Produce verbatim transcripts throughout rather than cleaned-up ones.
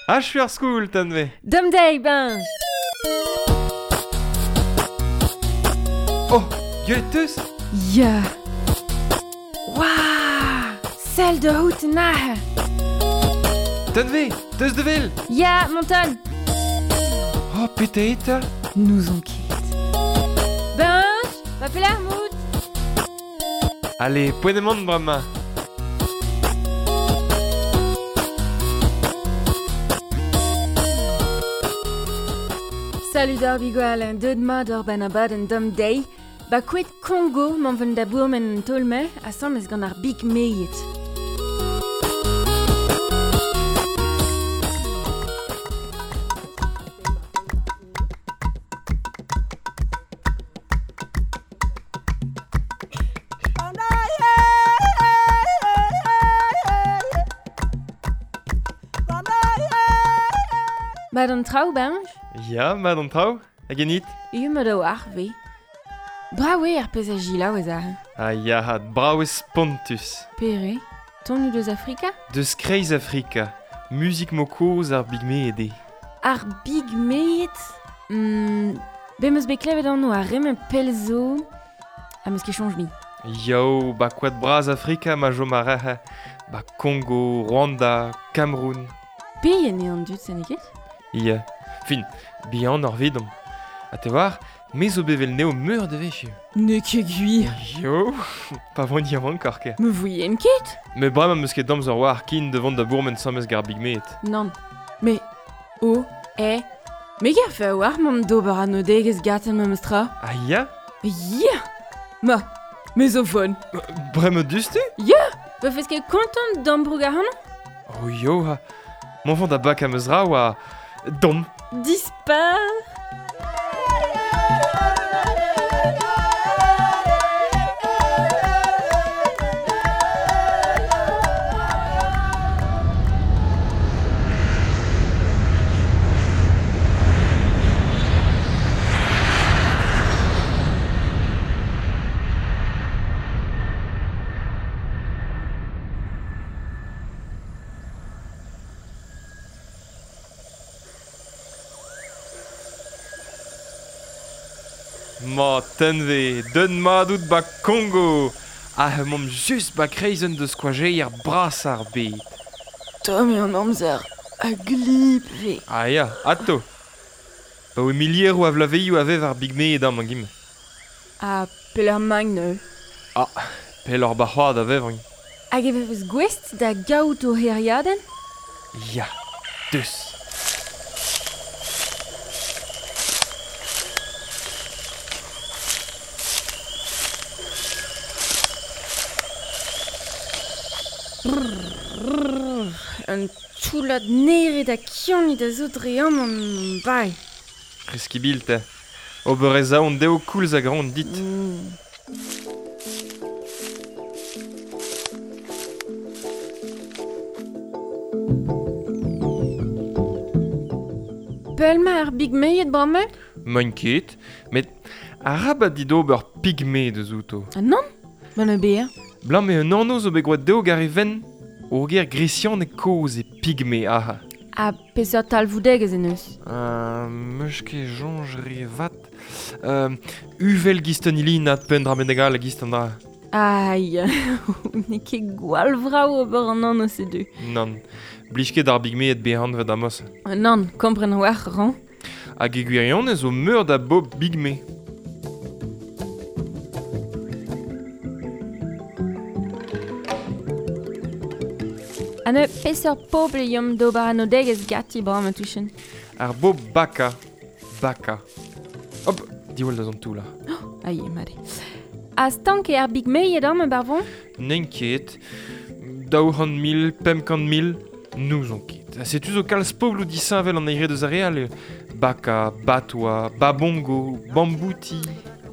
Achu ar skoul, Tanve. Dom deiz, Benj. Oh, gwelet teus? Ya. Waouh! Sell da out an Tanve, teus de vel? Ya, monton. Oh, pete eta? Nous on ket. Benj, va pelar mout. Allez, poent emaon bremañ. Salut d'ar bigwal, deud mat ur ben abadenn dom deiz. Ba kouet Kongo m'an ven da bourmen an tolme asambles gant ar big meiet. Mat an traoù, Benj? Ya, mat an traoù, hag enit? Eo mat o ar, ve. Brav eo ar pezh a gilaou ez ar. Ah ya, brav eo spontus. Pere, ton deus Afrika? Deus kreiz Afrika. Muzik mo kozh ar bigmeed eo. Ar bigmeed? Mm, be meus bet klevet anv ar rem pell zo. Ha meus ket soñj mi. Yo, ba koad bras Afrika ma jom ar rehe. Ba Kongo, Rwanda, Cameroun. Pe eo an dud, se n'eo ket? Ya, fin, bihan ar vidom. Ha te war, me zo bevel neo meur de vech. Ne ket gwir. Yo, pa vont yaouank ar ket. Me voyen ket. Me bremañ meus ket damz ur war kin devant da bourmen samez gar bigmeet. Nann, me, o, e, me garfe a war mont d'ober an odegez gaten memes tra. Ah ya? Ya! Ma, me zo fon. Bremañ dustu? Ya! Ba fez ket kontant d'ambroug ar c'hanon? Oh yo, ha, m'en vont da bak am eus ra oa... Dom. Dispar. Ma tenve, deun madout ba Kongo. Ah, mom just ba kreizen deus koajeier bras ar bet. Tomm eo an amzer a glip ve. Ah ya, ato. Ba oe milieroù a vlaveioù a vev ar bigmeed amañ gim. Ah, peller magn neu. Ah, peller ba c'hoad a vev an. Hag e vevez gouest da gaout o heriadenn? Ya, deus. Un toullad neret ha kianit a zo dre amañ bai. Reskibil te. Ober ez aon deo koulz hag an dit. Mm. Pell ma ar bigmeed bremañ? Mañ ket, met arabat dit ober pigme deus outo. Ah nann? Ma ne beer. Blam eo un anv zo bet gwad deo gar e ven. Ur ger gresian e kozh e pigme aha. Ha peseurt talvoudegezh en eus? Euh, meus ket soñj re vat. Euh, uvel gist an ilinad penn dra bennak a gist an dra. Ai, n'eo ket gwall vrav ober an anv se du. Nann, blij ket ar bigmeed behan vet amos. Nann, kompren war ran. Hag e gwirionez zo meur da bob bigme. Ha ne peseurt pobl yom d'ober an odegezh gati bremañ touchen. Ar bob baka. Baka. Hop, diwall da zont tout là. Oh, aïe, mare. Ha stank eo ar bigmeed amañ barvon? N'en ket. Daou c'hant mil, pemp kant mil, n'ouzon ket. Ha setu zo kalz pobloù disheñvel an eire deus ar re all. Baka, Batwa, Babongo, Bambouti.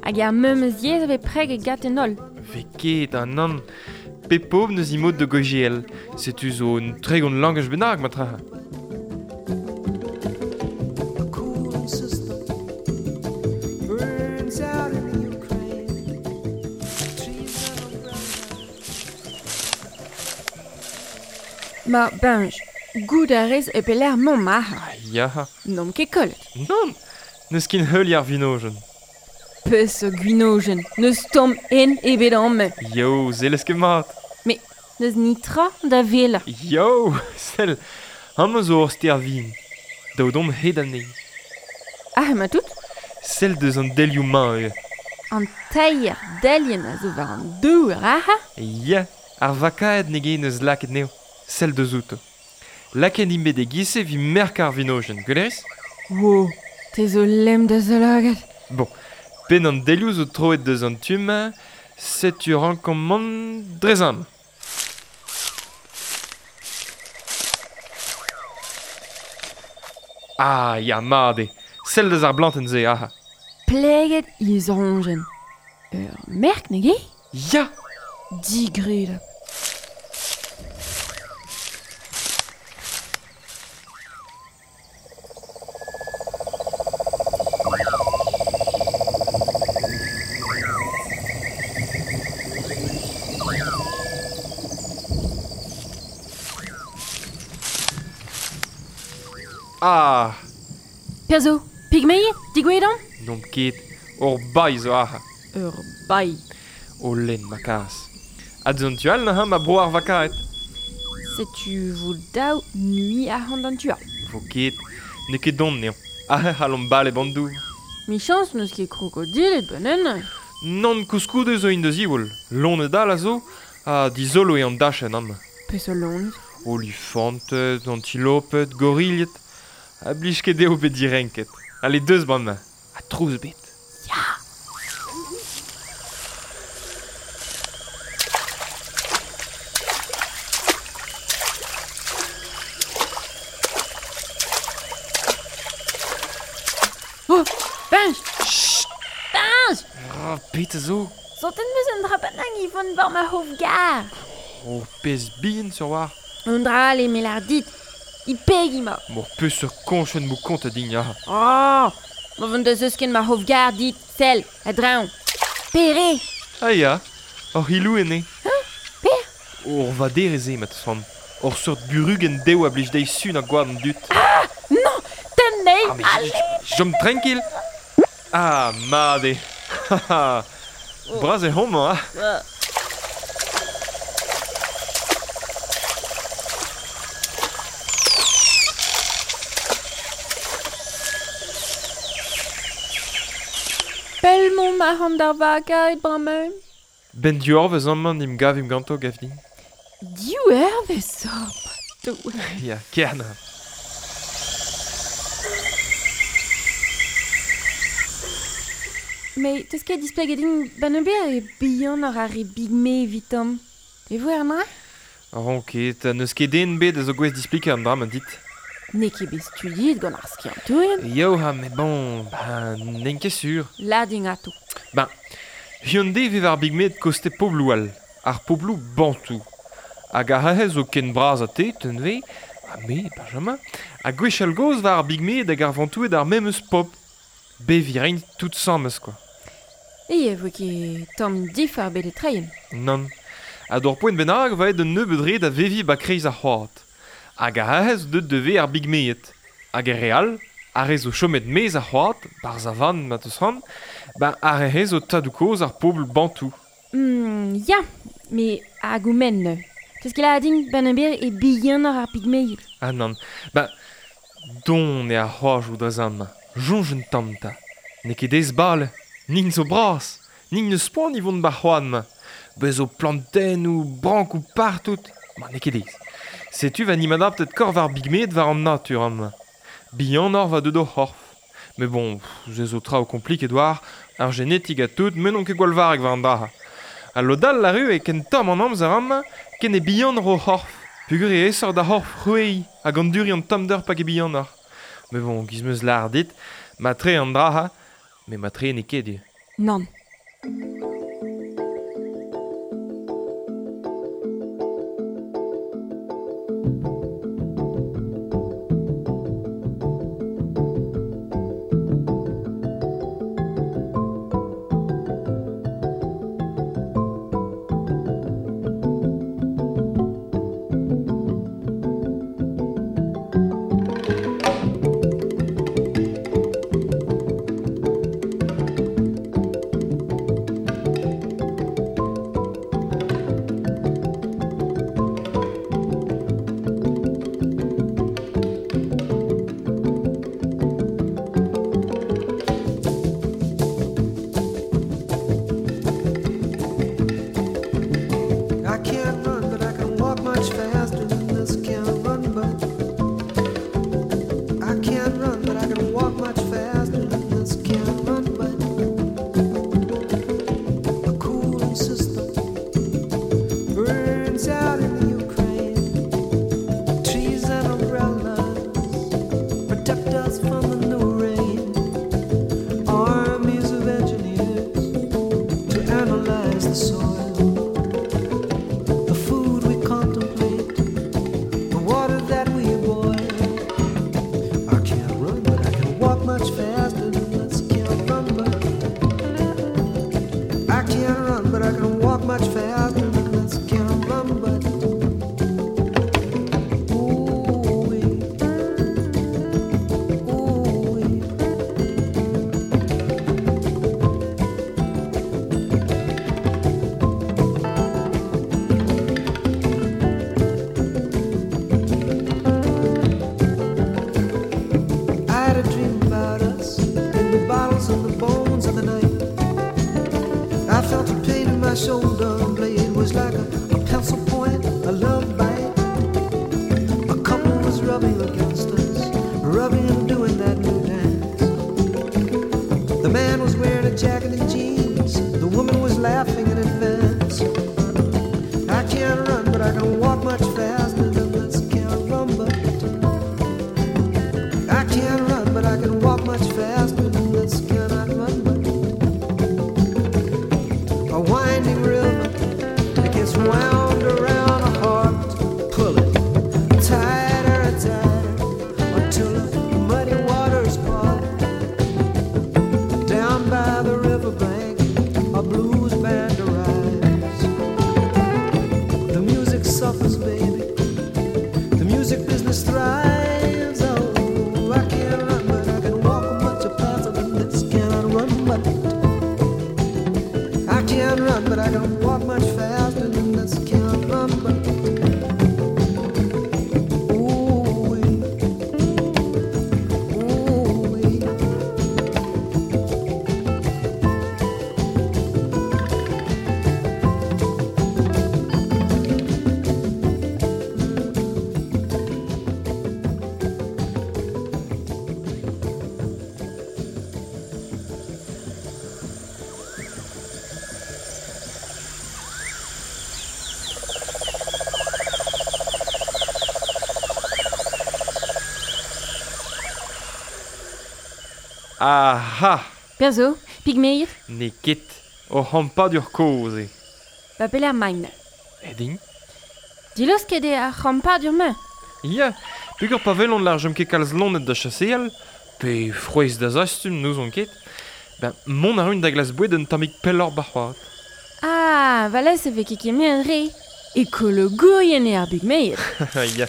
Hag ar memes yezh a vez preg e gat en holl. Ve ket, an nann. Pe pobl neus imod de gojiel. Setu zo un tregont langaj bennak, ma tra. Ma, Benj, Gout a rez e peler mont ma. Ah, ya. N'omp ket kollet. Non, n'eus kin heul ar vinojen. Peus o gwinojen, n'eus tamm en ebet amañ. Yo, zellez ket mat. Mais n'eus nitra da vela. Yo, sell, amañ zo ur ster vin. Daou domp hed anezhi. Ah, ma tout? Sell deus an delioù mañ eo. An teir delien a zo war an dour, aha? Ya, ar vakaed ne gen eus laket neo. Sell deus outo. Laket int bet e-giz-se evit merk ar vinojenn, gwelerez? Wow, te zo lemm da zolagad. Bon, penn an delioù zo troet deus an tu-mañ, setu rankomp mont drezam. Ah, ya, mat eo. Sell deus ar blantenn-se, aha. Pleget he zoñjenn. Ur merk, ne ket? Ya! Digredabl. Ah! Perzo, pigmeiet, digouedan? N'omp ket, ur bailh zo aze. Ur bailh. O lenn ma kaz. Ha deus an tu all neuze ma bro ar vakaet. Setu vo daou nui arc'hant an tu all. Vo ket, n'eo ket don eo. Aze c'hallomp bale bandoù. Michañs n'eus ket krokodilet benn. Nann koulskoude zo int da ziwall. Loened all a zo, ha dizolo eo an dachenn amañ. Peseurt loened? Olifanted, antiloped, gorilhed. A blij ket dezho bet direnket. Allez, deus bremañ. Ha trouz bet. Ya! Oh! Benj! Chut! Benj! Oh, petra zo? Santet 'm eus un dra bennak e vont war ma hof-gar. Oh, pezh bihan sur war. Un dra all eo me lâr dit. I peg emañ. Mor peseurt koñchenn mo kont a din, ya. Oh! Ma vont da zeusken ma hof-gar dit, sell, a-dreñv. Pere? Ah ya, hor hilou ene. Hein? Per? Ur vaderez eo, ma teus c'hoant. Ur seurt burugenn dev a blij dezhi sun ha gwad an dud. Ah! Non! Tenn anezhi! Ah, mais chom tranquille. Ah, mat eo. Bras eo homañ, ah. Pell mont arc'hant d'ar vakaet bremañ. Ben div eurvezh amañ n'em gavimp ganto, gav din. Div eurvezh, oh, ma Doue. Ya, kern. Mais teus ket displeget din ben ober e bihan ar ar re bigme evitomp. E vo ar dra? Ran ket, n'eus ket den bet a zo gouest displikañ an dra ma dit. N'eo ket bet studiet gant ar skiantourien. Yo, ha, mais bon, ben, n'en ket sur. Lâr din ato. Ben, Hyundai vev ar bigmed koste pobloù all, ar pobloù bantou. Hag ar ahez zo ken bras a te, tenve, ha me, Benjamin, ha gwechall gozh war ar bigmed hag ar vantoued ar memes pop. Beviñ reint tout sames, quoi. E e vo ket tamm difar bet e treien. Nann. Ha d'ur poent bennak va aet un nebeud re da veviñ ba kreiz ar c'hoad. Hag ar ahez deut da vezañ ar bigmeed. Hag ar re all, ar re zo chomet maez ar c'hoad, barzh a vann ma teus c'hoant, ben ar re zo tadoù-kozh ar pobl bantou. Mm, ya, me hag oumen neuze. Teus ket lâret din ben ober e bihanoc'h ar pigmeed. Ah nann, ben, don eo ar c'hoajoù dre amañ. Soñj un tamm 'ta. N'eo ket aes bale, nin zo bras, nin n'eus poan e vont ba'r c'hoad-mañ. Bez zo plantennoù, brankoù partout. Ma n'eo ket aes. Setu va nim adaptet korf ar bigmed war an natur amañ. Bihanoc'h va deut o c'horf. Mais bon, pff, ze zo traoù kompliket war, ar genetik ha tout, me n'on ket gwall varrek war an dra. Ha lod all arru e ken tomm an amzer amañ, ken e bihanoc'h o c'horf. Peogwir eo aesoc'h da c'horf c'hwezhiñ hag anduriñ an tommder pa ket bihanoc'h. Mais bon, giz 'm eus lâret dit, matre an dra ha, mais matre n'eo ket eo. Nann. clouds and the bones of the night. I felt a pain in my shoulder blade was like a, a pencil point, a love bite. A couple was rubbing against us, rubbing and doing that new dance. The man was wearing a jacket and jeans, the woman was laughing in advance. I can't run, but I can walk much faster than this caramba. I can't run, but I can walk much faster than this cannot run. A winding river that gets wound around a heart. Pull it tighter and tighter until the muddy waters part. Down by the riverbank, a blues band arrives. The music suffers, baby. The music business thrives. Oh, I can't run, but I can walk much faster than this. Cannot run, but I can't run, but I can walk much faster than this. Can't run, but ooh, wee. Ooh, wee. Aha! Perzo, pigmeiet, Ne ket, o c'hampadur kozh eo. ba peler main. Edin? Dilosket eo ar c'hampadur ma. Ya, peogwir pa welont lar jom ket kalz lonet da chaseal, pe frouezh da zastum n'ouzon ket, ben mont a run da glas boued un tammig pelloc'h bar c'hoad. Ah, valez e vez ket kement re. Ekologourien eo ar bigmeiet. Ya.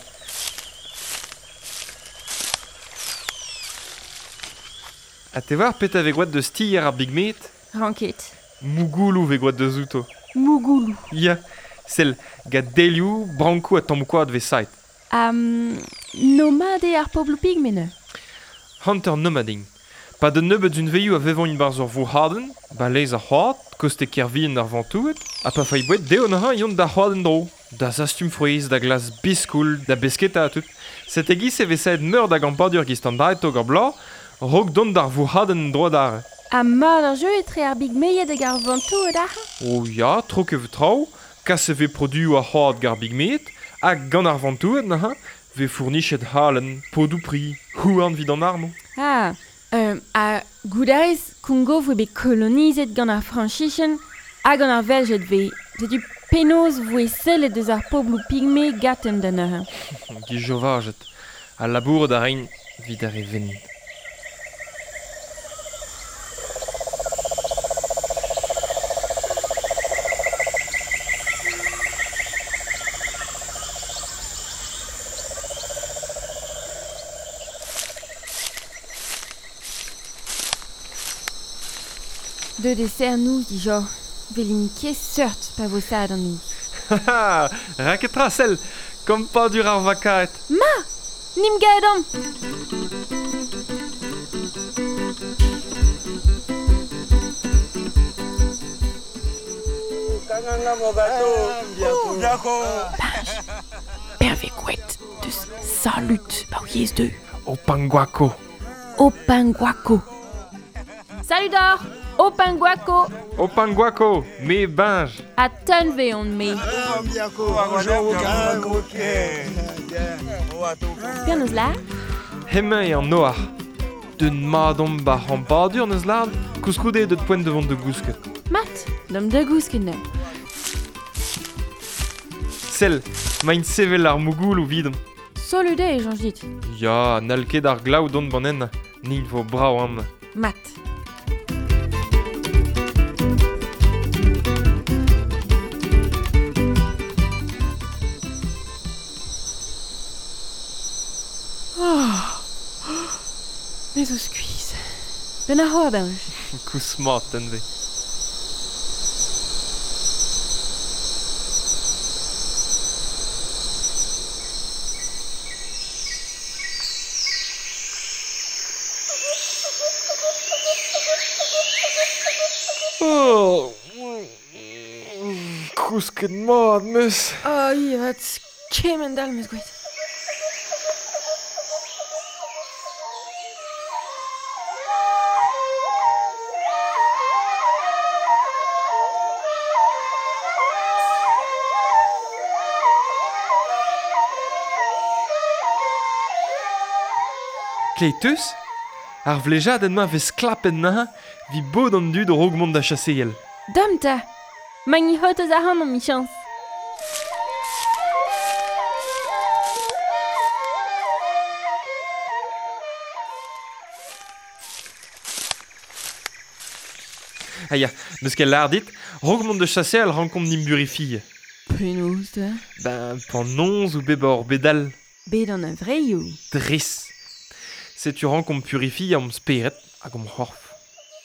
Ha te war pet a vez gwad deus tier ar bigmeet? Ranket. Mougoulou vez gwad deus outo. Mougoulou. Ya, sel gant delioù, brankoù ha tammoù koad vez saet. Um, nomade ar pobloù pigmene. Hunter nomading. Pa de nebeut d'un veioù a vevont in barz ur vourc'hadenn, ba lez ar c'hoad, koste kervien ar vantouet, ha pa fai boued deo neuze yont da c'hoad en dro. Da zastum frouezh, da glas biskoul, da besketa ha tout. Set egiz e vez saet meur da gampadur giz an daet ur bloaz, rog dont d'ar vourc'hadenn dro d'ar. Ha mat ar jeu etre ar bigmeiet hag ar vantouet ar. O ya, tro ket vo traoù, kas e vez produoù ar c'hoad gar bigmeet, hag gant ar vantouet neuze, vez fournichet halen, podoù pri, houarn vid an armoù. Ah, euh, a goudarez Kongo voe bet kolonizet gant ar Frañsicien hag gant ar Veljet vez. Setu penaos voe sellet deus ar pobloù pigme gaten da neuze. Gijovajet, ha labouret a rein vid ar re ven. De dessert nous dijo. Velin ket seurt pa vo sad an nous. Haha, raketra sell, kampadur ar vakaet. Ma! Nim gaet an! Perve gwet deus salut pa yez deux. O panguako. O panguako. Salut d'or! O panguako! O panguako, me benj. A tunve on me. Penaos la? Hemañ eo an noar. D'un madom ba c'hampadur neus lard, koulskoude eo deut poent de vont de gousket. Mat, dam da gousket neuze. Sell, maint sevel ar mougoulou vidon. Salut eo, Jean dit. Ya, n'hall ket ar glav dont banen, nin vo brav am. Mat. Oh. Me zo skuizh. Ben ar c'hoar benj. Kous mat, tenve. Kousket mat meus. Oh, ivat, kement all meus gwet. Kleiteus, ar vlejadenn ma vez klapen na, vi bod an dud rog mont da chaseel. Dam ta! Magni hot eus ar an michans. Ah ya, meus ket lar dit, rog mont da chaseal rankomp nim burifie. Penaos da? Ben, pan nonz ou bebor bedal. Bet an a vreioù. Dres. Setu rankomp purifie am speret hag am c'horf.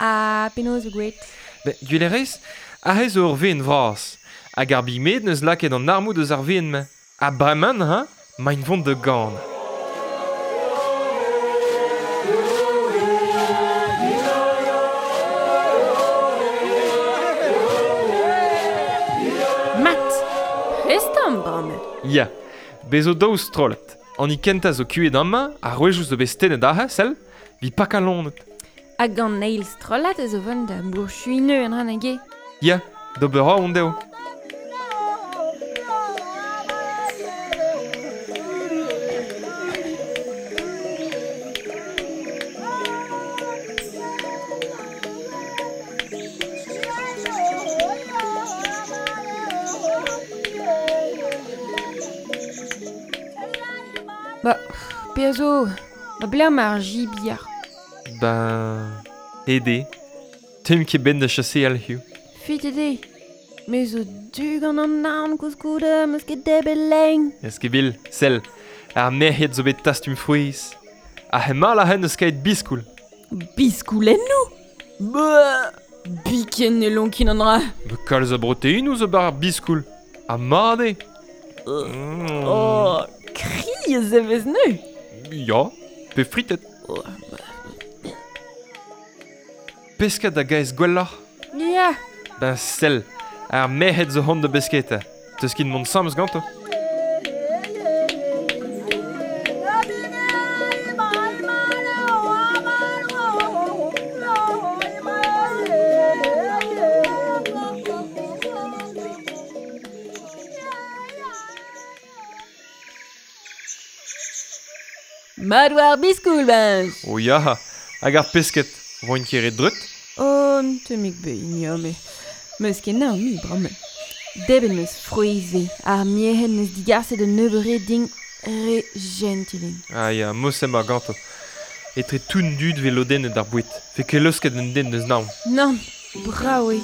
Ah, penaos gwet. Ben, gwelerez, aze zo ur veen vras. Hag ar bigmed neus lakaet an armoù deus ar veen-mañ. Ha bremañ, ha, maint vont da gan. Mat! Prest am bremañ. Ya, bez zo daou strollet. An i kentañ zo kuet amañ, ar rouejoù zo bet stennet aze, sell, vi pak alonet. Hag an eil strollat ez o vont da bourchuineu an ran hag e. Ya, d'ober a on dezho. Ba, pe zo, ba bler ma ar jibier. Ben, ede. Tem ket ben da chaseal hiziv. Fit ede. Me zo du gant an arm koulskoude, meus ket debet lein. Ez ket bil, sell, ar merc'hed zo bet tastum frouezh. Ar hemal a hen eus kaet biskoul. Biskoulennoù? Ba, biken ne lonkin an dra. Be kalz a broteinoù zo bar ar biskoul. Ha mat eo. Mm. Oh, kri ez e vez neu. Ya, pe fritet. Oh, Pesket da gaez gwelloc'h? Ya. Ben sell, ar merc'hed zo hont da besketa. Teus ket mont samez ganto. Mat war biskoul, ben. Oh ya, hag ar pesket, roint ket re dreut? Oh, temik be, ya, me. Meus ket naon mi, bremañ. Debet meus frouezh ar merc'hed neus digarset un nebeud ding re gentilin. Ah ya, mosem ar ganto. Etre toun dud ve lodennet ar boued. Fe ket leusket un den neus naon. Nann, brav eo.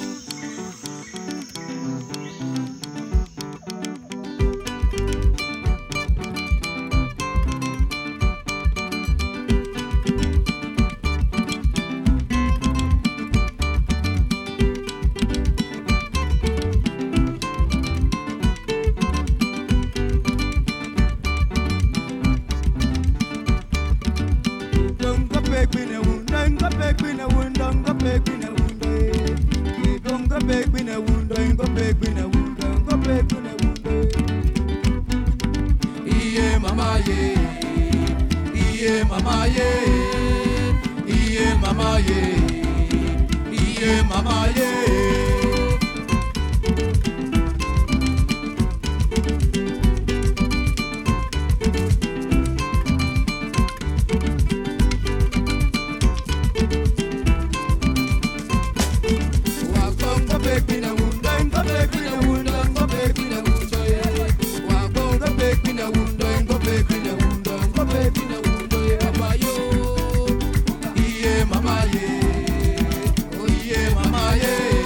Mama, yeah. Oh, yeah, mama, yeah.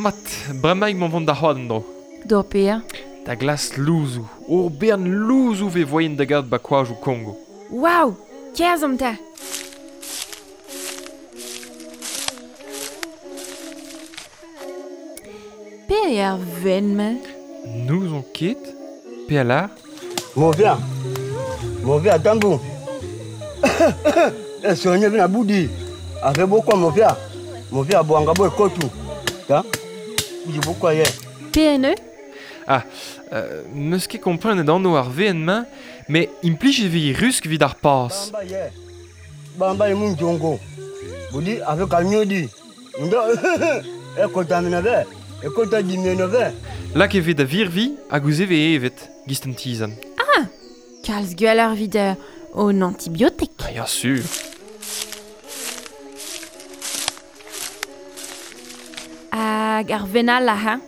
Mat, bremaik m'on vont da c'hoad en dro. D'or pea. Da glas louzou. Ur bern louzou ve voyen da gad ba koajou Kongo. Waouh, kerzomp ta. Pe eo ar ven-mañ? N'ouzon ket. Pe a lar? Mon vieux, mon vieux, tambou. E soigné vina boudi. Avec beaucoup mon vieux. Mon vieux boanga boy kotu. Ta? Boudi beaucoup hier. P N E? Ah, euh, meus ket komprenet anv ar V N-mañ, met implij e vez rusk evit ar pas. Bamba ye. Bamba ye mun jongo. Boudi avec alnyodi. Ndo e kontamine ve. E kontamine ve. Lak e vez da virvi hag ouzh e vez evet, gist an tizan. Ah, kalz gwelloc'h evit euh, an antibiotik. Ah, ya sur. Hag ar venal la ha?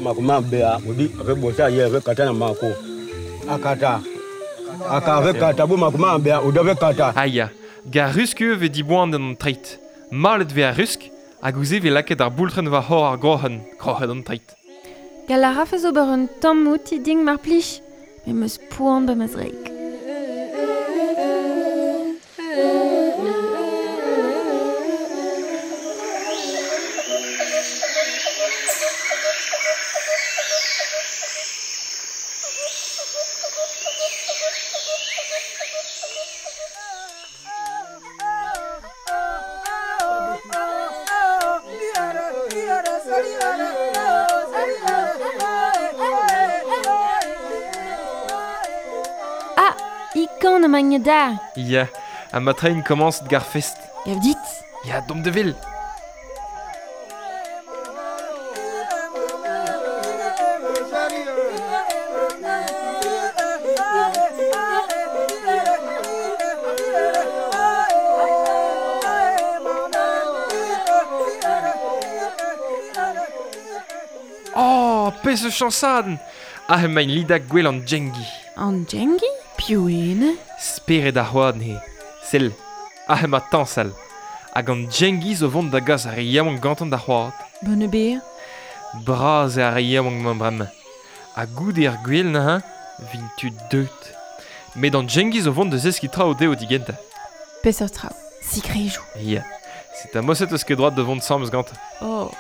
Makuma bea, boudi avec bosa ye avec katana mako. Akata. Aka avec kata bo makuma bea, ou avec kata. Ah ya, gar rusk eo vez diboan an treit. Malet vez ar rusk, hag ouzh e vez lakaet ar boultren war c'hor ar groc'hen, kroc'het an treit. Gall a rafez ober un tamm outi ding mar plij, met meus poan ba ma zreik. Ah, ikon emañ da. Ya, ha ma train komañs gar fest. Gav dit. Ya, domp de vil. Oh, pezh eus chañsadenn. Ah, emañ lidak gwell an Djengi. An Djengi? Piv eo Spered ar c'hoad he. Sell, ah emañ tañsal. Hag an Djengi zo vont da gas ar re yaouank gantañ da c'hoad. Bonne beer. Bras eo ar re yaouank mañ bremañ. Ha goude ar gwell neuze, vint tud deut. Met an Djengi zo vont da zeskiñ traoù dezho digentañ. Peseurt traoù, sikrejou. Ya, c'est un moset eus ket droit da vont sammes gantañ. Oh.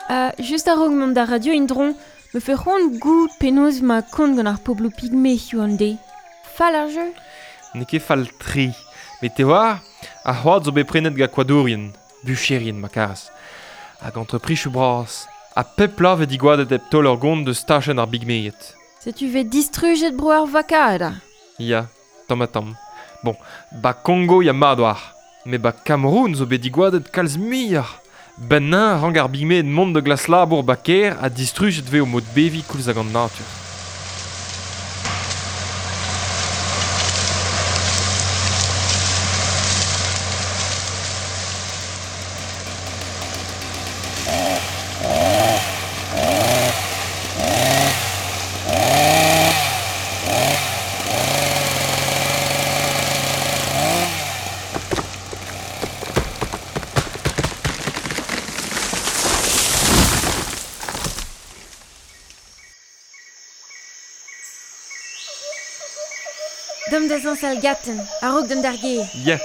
Uh, just a-raok mont d'ar radio indron, me fe c'hoant goût penaos ma kont gant ar pobloù pygme hiziv an deiz. Fall ar jeu? N'eo ket fall tri. Met te war, ar c'hoad zo bet prenet gant koadourien, bucherien ma karas. Hag entreprichoù bras. Ha pep la vez digoadet hep taol ur gont deus tachenn ar bigmeet. Setu vez distrujet bro ar vakada. Ya, tamm ha tamm. Bon, ba Kongo ya mat war. Met ba Cameroun zo bet digoadet kalz muioc'h. Bennañ rank ar bigmeet mont da glas labour ba kêr ha distrujet vez o mod beviñ koulz hag an natur. Dom da zañsal gaten, a-raok dont d'ar gêr. Ya.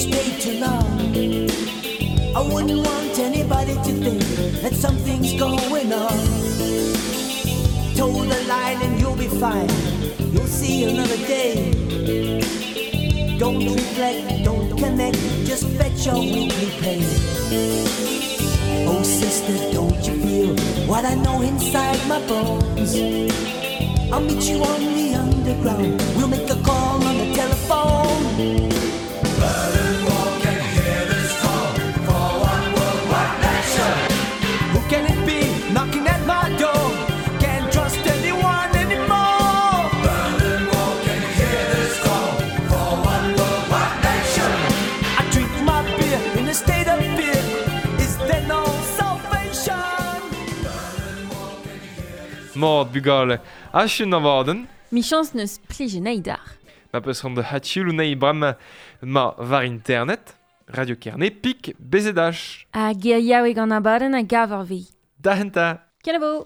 stay too long. I wouldn't want anybody to think that something's going on. Toe the line and you'll be fine. You'll see another day. Don't reflect, don't connect, just fetch your weekly pay. Oh sister, don't you feel what I know inside my bones? I'll meet you on the underground. We'll make a call on the telephone. Berlin Wall can hear this call for one world, one nation. Who can it be knocking at my door? Can't trust anyone anymore. Berlin Wall can hear this call for one world, one nation. I drink my beer in a state of fear. Is there no salvation? Mord bugale, achun avadenn. Michans neus plije neidar. Ma peus ran de hatioulou nei bram ma var internet, Radio Kerne, pik, B Z H. Ha ger yaoueg an abadenn a gav ar vi. Da henta. Kenavo!